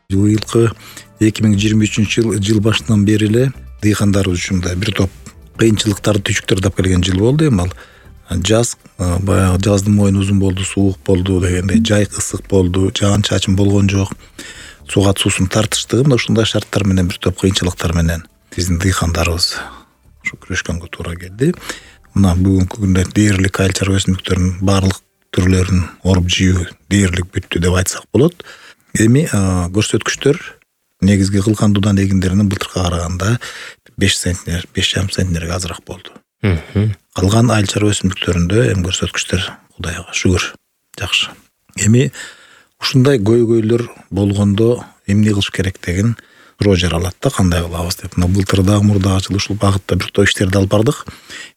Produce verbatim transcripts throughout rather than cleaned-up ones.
Быйылкы эки миң жыйырма үчүнчү жыл жыл башынан бери эле дыйкандарыбыз үчүн да бир топ кыйынчылыктарды түшүктөрдөп келген жыл болду. Эми ал жаз баягы жаздын мойну узун болду, суук болду дегендей, жай ысык болду, жаан-чачын болгон жок. Сугат суусун тартыштыгы мына ушундай шарттар менен бир топ кыйынчылыктар менен биздин дыйкандарыбыз ушу күрөшкөнгө туура келди. Мына бүгүнкү күндө дээрлик айыл чарба өсүмдүктөрүнүн баардык түрлөрүн оруп жыйуу дээрлик бүттү деп айтсак болот. Эми көрсөткүчтөр негизги кылкандуудан эгиндеринин былтыркыга караганда беш центнер, беш жарым центнерге азыраак болду. Калган айыл чарба өсүмдүктөрүндө эми көрсөткүчтөр Кудайга шүгүр жакшы. Эми ушундай көйгөйлөр болгондо эмне кылыш керек деген суроо жаралат да, кандай кылабыз деп. Мына былтыр дагы мурдагы жылы ушул багытта бир топ иштерди алып бардык.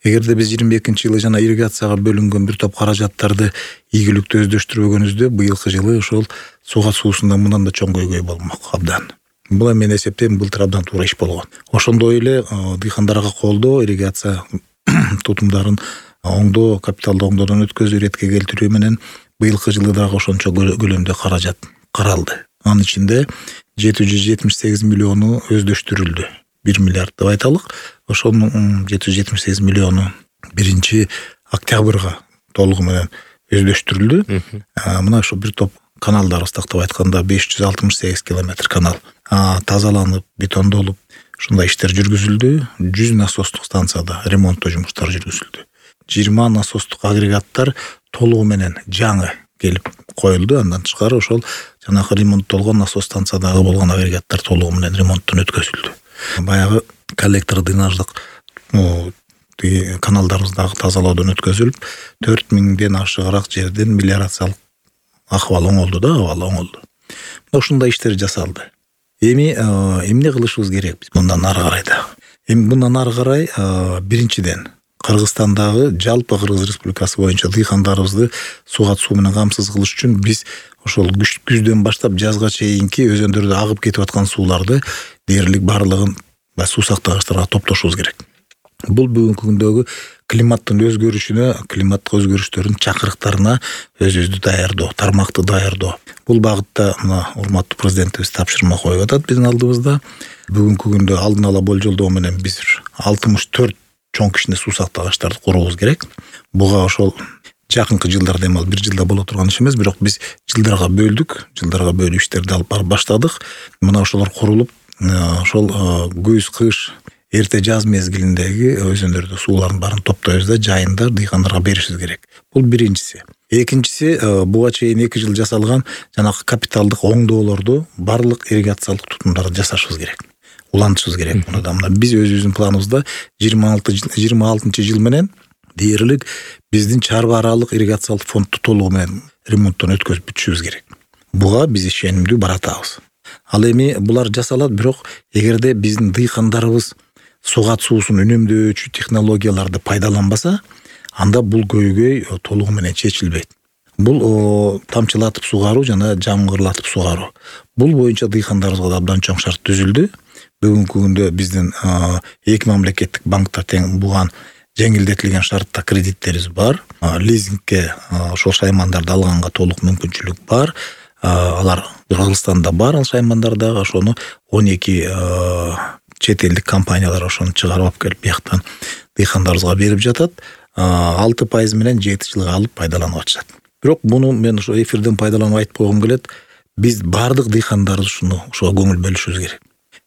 Эгерде биз жыйырма экинчи жылы жана ирригацияга бөлүнгөн бир топ каражаттарды ийгиликтүү өздөштүрбөгөнүбүздө, быйылкы жылы ошол сугат суусунда мындан да чоң көйгөй болмок абдан. Бул мен эсептейм былтыр абдан туура иш болгон. Ошондой эле дыйкандарга колдоо, ирригация тутумдарын оңдоо, капиталды оңдоодон өткөзүү, иретке келтирүү менен быйылкы жылы дагы ошончо көлөмдө каражат каралды. Анын ичинде жети жүз жетимиш сегиз миллиону өздөштүрүлдү. бир миллиард деп айталык. Ошонун жети жүз жетимиш сегиз миллиону биринчи октябрга толугу менен өздөштүрүлдү. Мына ошо бир топ каналдарыбыз тактап айтканда беш жүз алтымыш сегиз километр канал тазаланып, бетондолуп, ушундай иштер жүргүзүлдү. жүз насостук станцияда ремонттоо жумуштары жүргүзүлдү. жыйырма насостук агрегаттар толугу менен жаңы келип коюлду. Андан тышкары ошол жанагы ремонттолгон насос станциядагы болгон агрегаттар толугу менен ремонттон өткөзүлдү. Баягы коллектор дренаждык каналдарыбыздагы тазалоодон өткөзүлүп, төрт миңден ашыгыраак жерден мелиорациялык акыбал оңолду да, абал оңолду. Ушундай иштер жасалды. Эми эмне кылышыбыз керек биз мындан ары карай да? Эми мындан ары карай биринчиден Кыргызстандагы жалпы Кыргыз Республикасы боюнча дыйкандарыбызды сугат суу менен камсыз кылыш үчүн биз ошол күздөн баштап жазга чейинки өзөндөрдө агып кетип аткан сууларды дээрлик баардыгын суу сактагычтарга топтошубуз керек. Бул бүгүнкү күндөгү климаттын өзгөрүшүнө, климаттык өзгөрүштөрдүн чакырыктарына өзүбүздү даярдоо, тармакты даярдоо. Бул багытта мына урматтуу президентибиз тапшырма коюп атат биздин алдыбызда. Бүгүнкү күндө алдын ала болжолдоо менен биз алтымыш төрт чоң кичине суу сактагычтарды куруубуз керек. Буга ошол жакынкы жылдарда эми ал бир жылда боло турган иш эмес, бирок биз жылдарга бөлдүк, жылдарга бөлүп иштерди алып барып баштадык. Мына ошолор курулуп, ошол көз, кыш, эрте жаз мезгилиндеги өзөндөрдө суулардын баарын топтойбуз да жайында дыйкандарга беришибиз керек. Бул биринчиси. Экинчиси, буга чейин эки жыл жасалган жанагы капиталдык оңдоолорду барлык ирригациялык тутумдарды жасашыбыз керек. Улантышыбыз керек. Мына да биз өзүбүздүн планыбызда жыйырма алты жыйырма алтынчы жыл менен дээрлик биздин чарба аралык ирригациялык фондду толугу менен ремонттон өткөзүп бүтүшүбүз керек. Буга биз ишенимдүү баратабыз. Ал эми булар жасалат, бирок эгерде биздин дыйкандарыбыз сугат суусун үнөмдөөчү технологияларды пайдаланбаса, анда бул көйгөй толугу менен чечилбейт. Бул тамчылатып сугаруу жана жамгырлатып сугаруу. Бул боюнча дыйкандарыбызга да абдан чоң шарт түзүлдү. Бүгүнкү күндө биздин эки мамлекеттик банкта тең буган жеңилдетилген шартта кредиттерибиз бар. Лизингке ошол шаймандарды алганга толук мүмкүнчүлүк бар. Алар Кыргызстанда бар, ал шаймандардагы ошону он эки чет элдик компаниялар ошону чыгарып алып келип бияктан дыйкандарыбызга берип жатат. алты пайыз менен жети жылга алып пайдаланып атышат. Бирок буну мен ошо эфирден пайдаланып айтып койгум келет. Биз бардык дыйкандарыбыз ушуну ошого көңүл бөлүшүбүз керек.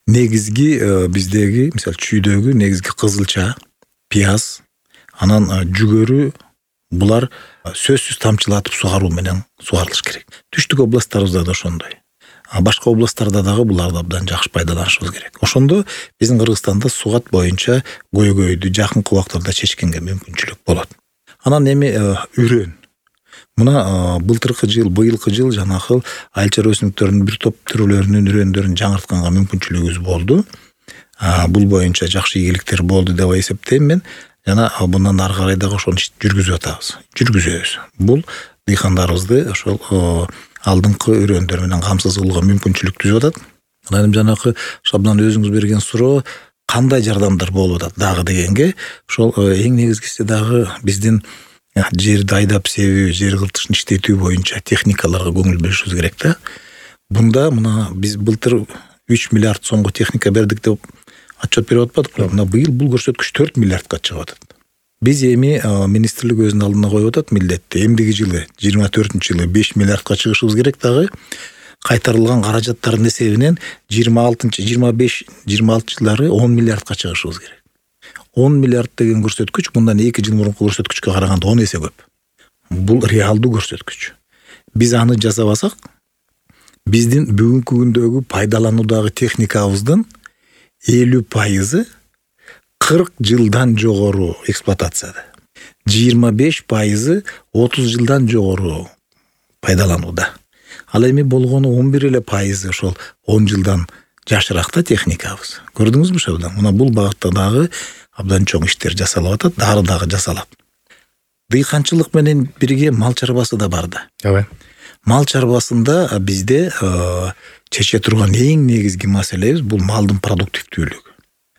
Негизги биздеги, мисалы чүйдөгү негизги кызылча, пияз, анан жүгөрү, булар сөзсүз тамчылатып сугаруу менен сугарылыш керек. Түштүк областтарыбызда да ошондой. Башка областтарда дагы буларды абдан жакшы пайдаланышыбыз керек. Ошондо биздин Кыргызстанда сугат боюнча көйгөйдү жакынкы убактарда чечкенге мүмкүнчүлүк болот. Анан эми үрөн. Мына былтыркы жыл, быйылкы жыл жанагы айыл чарба өсүмдүктөрүнүн бир топ түрлөрүнүн үрөндөрүн жаңыртканга мүмкүнчүлүгүбүз болду. Бул боюнча жакшы ийгиликтер болду деп эсептейм мен. Жана bundan ары карай дагы ошону жүргүзүп атабыз. Жүргүзөбүз. Бул дыйкандарыбызды ошол алдыңкы үрөндөр менен камсыз кылууга мүмкүнчүлүк түзүп атат. Анан жанагы Шабдан өзүңүз берген суроо кандай жардамдар болуп атат дагы дегенге, ошол эң негизгиси дагы биздин жерди айдап себүү, жер кыртышын иштетүү боюнча техникаларга көңүл бөлүшүбүз керек да. Мында мына биз былтыр үч миллиард сомго техника бердик деп отчет берип атпадыкпы. Мына быйыл бул көрсөткүч төрт миллиардка чыгып атат. Биз эми министрлик өзүнүн алдына коюп атат милдетти. Эмдиги жылы жыйырма төртүнчү жылы беш миллиардка чыгышыбыз керек, дагы кайтарылган каражаттардын эсебинен жыйырма алтынчы жыйырма беш жыйырма алтынчы жылдары он миллиардка чыгышыбыз керек. он миллиард деген көрсөткүч мындан эки жыл мурунку көрсөткүчкө караганда он эсе көп. Бул реалдуу көрсөткүч. Биз аны жасабасак, биздин бүгүнкү күндөгү пайдалануудагы техникабыздын элүү пайызы кырк жылдан жогору эксплуатацияда. жыйырма беш пайызы отуз жылдан жогору пайдаланууда. Ал эми болгону он бир эле пайызы ошол он жылдан жашыракта техникабыз. Көрдүңүзбү ошол? Мына бул багытта дагы абдан чоң иштер жасалып атат, дагы дагы жасалат. Дыйканчылык менен бирге мал чарбасы да бар да. Ооба. Мал чарбасында бизде чече турган эң негизги маселебиз бул малдын продуктивдүүлүгү.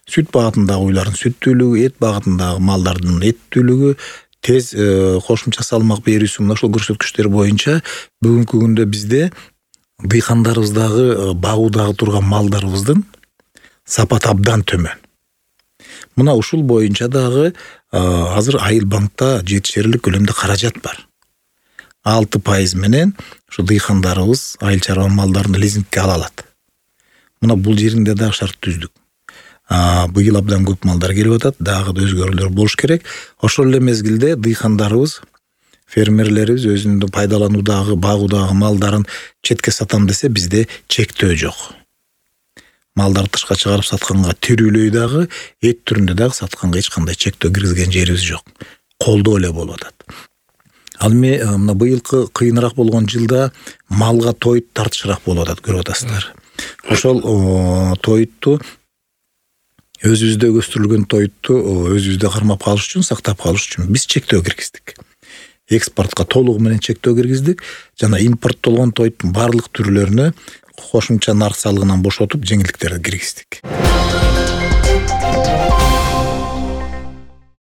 Сүт багытындагы уйлардын сүттүүлүгү, эт багытындагы малдардын эттүүлүгү, тез кошумча салмак берүүсү, мына ошол көрсөткүчтөр боюнча бүгүнкү күндө бизде дыйкандарыбыздагы багуудагы турган малдарыбыздын сапаты абдан төмөн. Мына ушул боюнча дагы азыр Айыл банкта жетишерлик көлөмдө каражат бар. алты пайыз менен ушу дыйкандарыбыз айыл чарба малдарын лизингке ала алат. Мына бул жеринде дагы шарт түздүк. Быйыл абдан көп малдар келип атат, дагы да өзгөрүүлөр болуш керек. Ошол эле мезгилде дыйкандарыбыз, фермерлерибиз өзүнүн пайдалануудагы, багуудагы малдарын четке сатам десе, бизде чектөө жок. Малдарды тышка чыгарып сатканга, тирүүлөй дагы, эт түрүндө дагы сатканга эч кандай чектөө киргизген жерибиз жок. Колдоо эле болуп атат. Ал эми мына быйылкы кыйыныраак болгон жылда малга тоют тартышыраак болуп атат, көрүп атасыздар. Ошол тоютту өзүбүздө өстүрүлгөн тоютту өзүбүздө кармап калыш үчүн, сактап калыш үчүн биз чектөө киргиздик. Экспортко толугу менен чектөө киргиздик жана импорттолгон тоюттун барлык түрлөрүнө кошумча нарк салыгынан бошотуп, жеңилдиктерди киргиздик.